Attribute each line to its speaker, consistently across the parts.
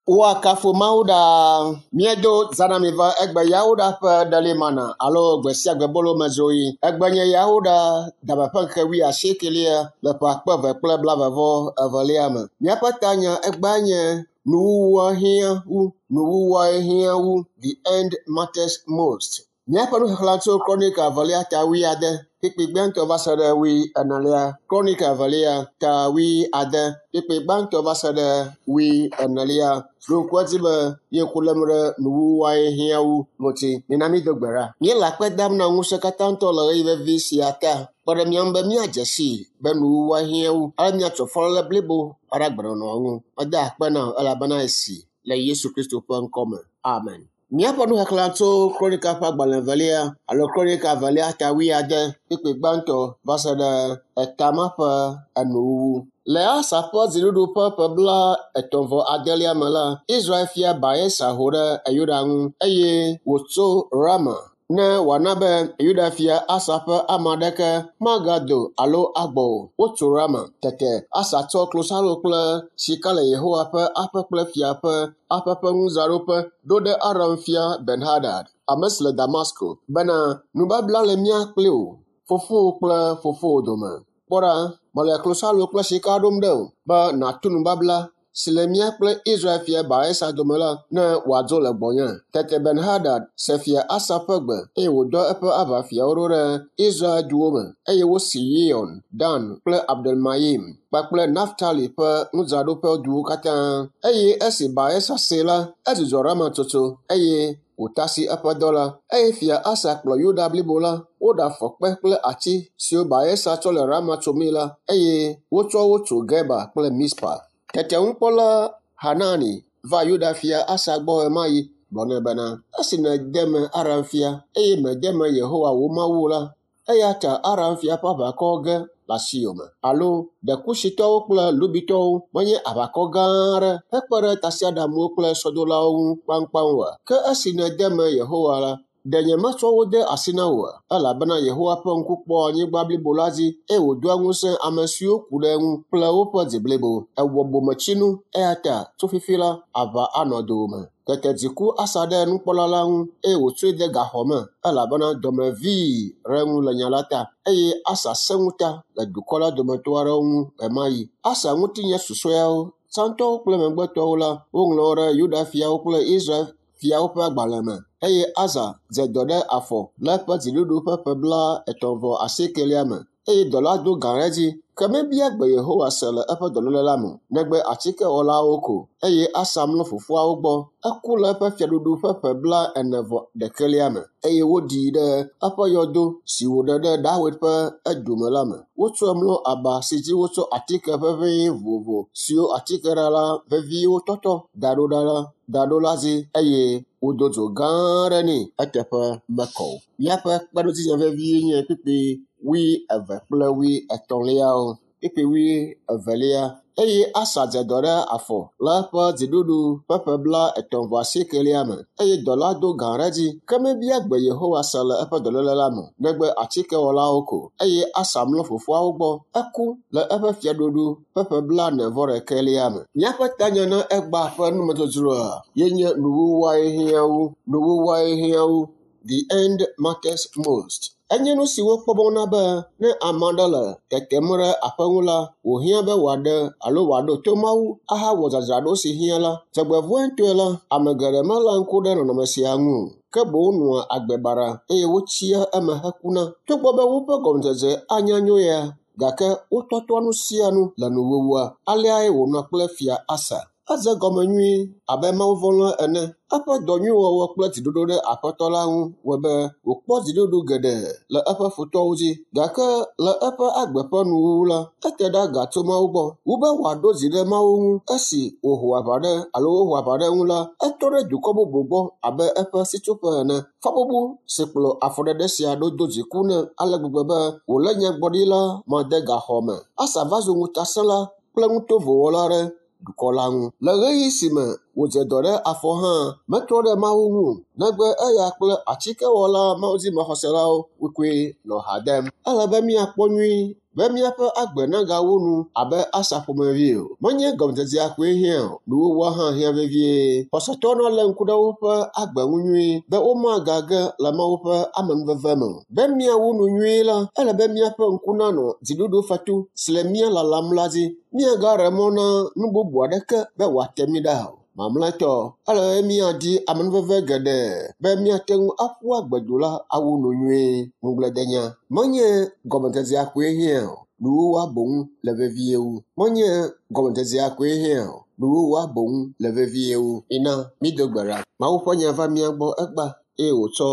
Speaker 1: Woakafu Mawu ɖaa. Míedo zã na mi va egbe Yawoɖa ƒe ɖelimana alo gbe sia gbe bolomedzroɣi. Egbe nye Yawoɖa dame ƒe ŋkeke wuiasiekelia le ƒe akpe eve kple blaeve-vɔ-evelia me. Míaƒe tanya egbea nye nuwuwua hiã wu, nuwuwuae hiã wu, the end matters most. Míaƒe nuxexlẽ tso Kronika evelia ta wuiade, kpukpui gbãtɔ va se ɖe wuienelia. Kronika evelia ta wuiade, kpukpui gbãtɔ va se ɖe wuienelia. Ɖo ŋku edzi be ye ku lém ɖe nuwuwuae hiã wu ŋuti. Mina mído gbe ɖa. Míele akpe dam na ŋusẽkatãtɔ le ɣeyiɣi vevi sia ta. Kpe ɖe mía ŋu be míadze sii be nuwuwua hiã wu ale míatso fɔléle blibo aɖe agbenɔnɔ ŋu. Meda akpe na wò elabena esi le Yesu Kristo ƒe ŋkɔ me. Amen. Míaƒe nuxexlẽ tso Kronika ƒe agbalẽ evelia alo Kronika evelia ta wuiade kpukpui gbãtɔ va se ɖe eta ma ƒe enuwuwu. Le Asa ƒe dziɖuɖu ƒe ƒe blaetɔ̃ vɔ adelia me la, Israel fia Baesa ho ɖe Yuda ŋu eye wòtso Rama ne wòana be Yuda fia Asa ƒe ame aɖeke magado alo agbɔ o. Wotso Rama. Tete Asa tsɔ klosalo kple sika le Yehowa ƒe aƒe kple fia ƒe aƒe ƒe nudzraɖoƒe ɖo ɖe Aram fia Ben-Hadad, ame si le Damasko, bena, Nubabla le mía kpli wò, fofowò kple fofowò dome. Kpɔ ɖa, mele klosalo kple sika ɖom ɖe wò be nàtu nubabla si le mía kple Israel fia Baesa dome la, ne wòadzo le gbɔnye. Tete Ben-Hadad se fia Asa ƒe gbe, eye wòdɔ eƒe aʋafiawo ɖo ɖe Israel duwo me, eye wosi Yion, Dan kple Abdelmayim kpakple Naftali ƒe nudzraɖoƒe duwo katã. Eye esi Baesa see la, edzudzɔ Rama tsotso, eye wòtasi eƒe dɔ la. Eye fia Asa kplɔ Yuda blibo la, woɖafɔ kpe kple ati siwo Baesa tsɔ le Rama tsomii la, eye wotsɔ wo tso Geba kple Mizpa. Tete ŋukpɔla Hanani va Yuda fia Asa gbɔ ɣemaɣi gblɔ nɛ bena, Esi nède me Aram fia, eye mède me Yehowa wò Mawu o la, eya ta Aram fia ƒe aʋakɔ ge le asiwò me. Alo ɖe Kusitɔwo kple Lubitɔwo menye aʋakɔ gã aɖe hekpe ɖe tasiaɖamwo kple sɔdolawo ŋu kpaŋkpaŋ oa? Ke esi nède me Yehowa la, ɖe nyemetsɔ wo de asi na wò oa? Elabena Yehowa ƒe ŋku kpɔa anyigba blibo la dzi, eye wòdoa ŋusẽ ame siwo ku ɖe eŋu kple woƒe dzi blibo. Èwɔ bometsinu, eya ta tso fifi la, aʋa anɔ dowòme. Tete dzi ku Asa ɖe nukpɔla la ŋu, eye wòtsɔe de gaxɔ me, elabena dɔme vii ɖe eŋu le nya la ta. Eye Asa sẽ ŋuta le dukɔ la dometɔ aɖewo ŋu ɣemaɣi. Asa ŋutinya susɔeawo, tsãtɔwo kple megbetɔwo la, woŋlɔ wo ɖe Yuda fiawo kple Israel fiawo ƒe agbalẽ me. Eye Asa dze dɔ ɖe afɔ le eƒe dziɖuɖu ƒe ƒe blaetɔ̃ vɔ asiekelia me, eye dɔ la do gã ɖe edzi. Ke mebia gbe Yehowa se le eƒe dɔléle la me o, negbe atikewɔlawo ko. Eye Asa mlɔ fofoawo gbɔ. Eku le eƒe fiaɖuɖu ƒe ƒe blaene vɔ ɖekɛlia me, eye woɖii ɖe eƒe yɔdo si wòɖe ɖe Dawid ƒe edu me la me. Wotsɔe mlɔ aba si dzi wotsɔ atike ʋeʋẽe vovovo siwo atikeɖala veviwo tɔtɔ da ɖo ɖa la da ɖo la dzi eye wodo dzo gã aɖe nɛ eteƒe mekɔ o. Míaƒe kpeɖodzinya vevie nye kpukpui wuieve kple wuietɔ̃liawo. Kpukpui wuievelia. Eye Asa dze dɔ ɖe afɔ le eƒe dziɖuɖu ƒe ƒe blaetɔ̃ vɔ asiekelia me, eye dɔ la do gã ɖe edzi. Ke mebia gbe Yehowa se le eƒe dɔléle la me o, negbe atikewɔlawo ko. Eye Asa mlɔ fofoawo gbɔ. Eku le eƒe fiaɖuɖu ƒe ƒe blaene vɔ ɖekɛlia me. Míaƒe tanya na egbea ƒe numedzodzroa ye nye nuwuwuae hiã wu, nuwuwuae hiã wu, the end matters most. Enye nu si wokpɔ mɔ na be ne ame aɖe le tetem ɖe aƒe ŋu la, wòhiã be wòaɖe alo wòaɖo to Mawu ahawɔ dzadzraɖo si hiã la. Dzɔgbevɔ̃etɔe la, ame geɖe meléa ŋku ɖe nɔnɔme sia ŋu o, ke boŋ nɔa agbe baɖa eye wotsia eme hekuna. Togbɔ be woƒe gɔmedzedze anya nyo ya, gake wotɔtɔa nu sia nu le nuwuwua. Aleae wònɔ kple Fia Asa. Edze egɔme nyuie abe mawuvɔ̃la ene. Eƒe dɔ nyui wɔwɔ kple dziɖoɖo ɖe Aƒetɔ la ŋu wɔe be wòkpɔ dziɖuɖu geɖe le eƒe futɔwo dzi. Gake le eƒe agbe ƒe nuwuwu la, ete ɖe aga tso Mawu gbɔ. Wu be wòaɖo dzi ɖe Mawu ŋu esi wòho aʋa ɖe alo woho aʋa ɖe eŋu la, etrɔ ɖe dukɔ bubu gbɔ abe eƒe sitsoƒe ene. Fɔbubu si kplɔ afɔɖeɖe sia ɖo do dziku nɛ ale gbegbe be wòlé nyagblɔɖila ma de gaxɔ me. Asa va zu ŋutasẽla kple nutovowɔla ɖe dukɔ la ŋu. Le ɣeyiɣi si me wòdze dɔ ɖe afɔ hã, metrɔ ɖe Mawu ŋu o, negbe eya kple atikewɔla mawudzimaxɔselawo koe nɔ ha dem. Ele be míakpɔ nyuie Be míaƒe agbe nagawu nu abe Asa ƒomevi o. Menye gɔmedzedzea koe hiã o, nuwuwua hã hiã vevie. Xɔsetɔwo nalé ŋku ɖe woƒe agbe ŋu nyuie be womagage le Mawu ƒe amenuveve me o. Be míawu nu nyuie la, ele be míaƒe ŋku nanɔ dziɖuɖufetu si le mía lalam la dzi. Míagaɖe mɔ na nu bubu aɖeke be wòate mí ɖa o. Mamlɛtɔ, ele be míadi amenuveve geɖe be míate ŋu aƒu agbedu la awu nu nyuie. Ŋugbledenya menye gɔmedzedzea koe hiã o, nuwuwua boŋ le vevie wu. Menye gɔmedzedzea koe hiã o, nuwuwua boŋ le vevie wu. Mina mído gbe ɖa. Mawu ƒe nya va mía gbɔ egbea eye wòtsɔ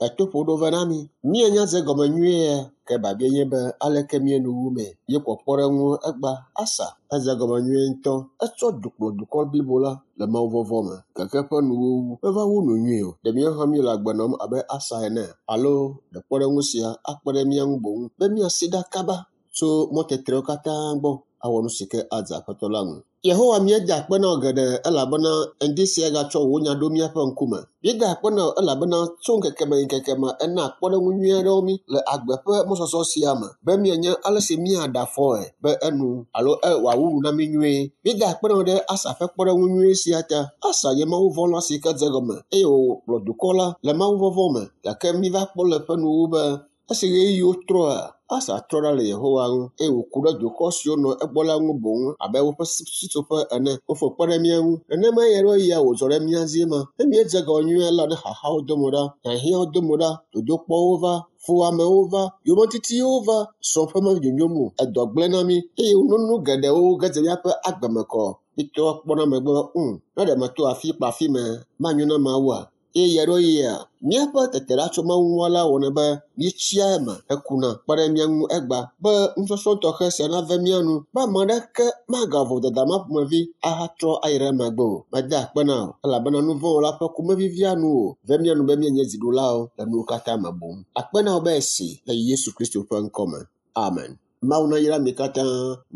Speaker 1: etoƒo ɖo va na mí. Míenya dze gɔme nyuie ke biabia nye be aleke míenu wu mee. Míekpɔ kpɔɖeŋu egbea Asa edze gɔme nyuie ŋutɔ. Etsɔ du kplɔ dukɔ blibo la le mawuvɔvɔ̃ me gake eƒe nuwuwu meva wu nu nyuie o. Ɖe míawo hã míele agbe nɔm abe Asa ene alo ɖe kpɔɖeŋu sia akpe ɖe mía ŋu boŋ be míasi ɖa kaba tso mɔtetrewo katã gbɔ awɔ nu si ke adze Aƒetɔ la ŋu. Yehowa míeda akpe na wò geɖe elabena ŋdi sia gatsɔ wò nya ɖo míaƒe ŋkume. Míeda akpe na wò elabena tso ŋkeke me yi ŋkeke me ena kpɔɖeŋu nyui aɖewo mí le agbe ƒe mɔzɔzɔ sia me be míanya ale si míaɖe afɔe be enu alo wòawu nu na mí nyuie. Míeda akpe na wò ɖe Asa ƒe kpɔɖeŋu nyui sia ta. Asa nye mawuvɔ̃la si ke dze egɔme eye wòkplɔ dukɔ la le mawuvɔvɔ̃ me gake míva kpɔ le eƒe nuwuwu be esi ɣeyiɣiwo trɔa, Asa trɔ ɖa le Yehowa ŋu eye wòku ɖe dukɔ siwo nɔ egbɔ la ŋu boŋ abe woƒe sitsoƒe ene. Wofo kpe ɖe mía ŋu. Nenema eya ɖo eya wòdzɔ ɖe mía dzi ma. Ne míedze egɔme nyuie la, ne xaxawo do mo ɖa, hiahiãwo do mo ɖa, dodokpɔwo va, fuwɔamewo va, yometitiwo va, srɔ̃ ƒe menyonyom o, edɔ gblẽ na mí eye nunu geɖewo ge dze míaƒe agbe me kɔ. Mítrɔ kpɔna megbe be, ŋ, ne ɖe meto afi kple afi me, manyo na Mawua? Eye ɣeaɖewoɣia, míaƒe tete ɖa tso Mawu ŋu la wɔnɛ be míetsia eme hekuna. Kpe ɖe mía ŋu egbea be nusɔsrɔ̃ tɔxɛ sia nave mía nu be ame aɖeke magawɔ vodada ma ƒomevi ahatrɔ ayi ɖe emegbe o. Mede akpe na wò elabena nu vɔ̃ wɔla ƒe ku mevivia nu o. Ve mía nu be míenye dziɖulawo le nuwo katã me boŋ. Akpe na wò be esi le Yesu Kristo ƒe ŋkɔ me. Amen. Mawu nayra mi katã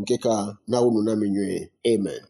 Speaker 1: ŋkekea nawu nu na mi nyuie. Amen.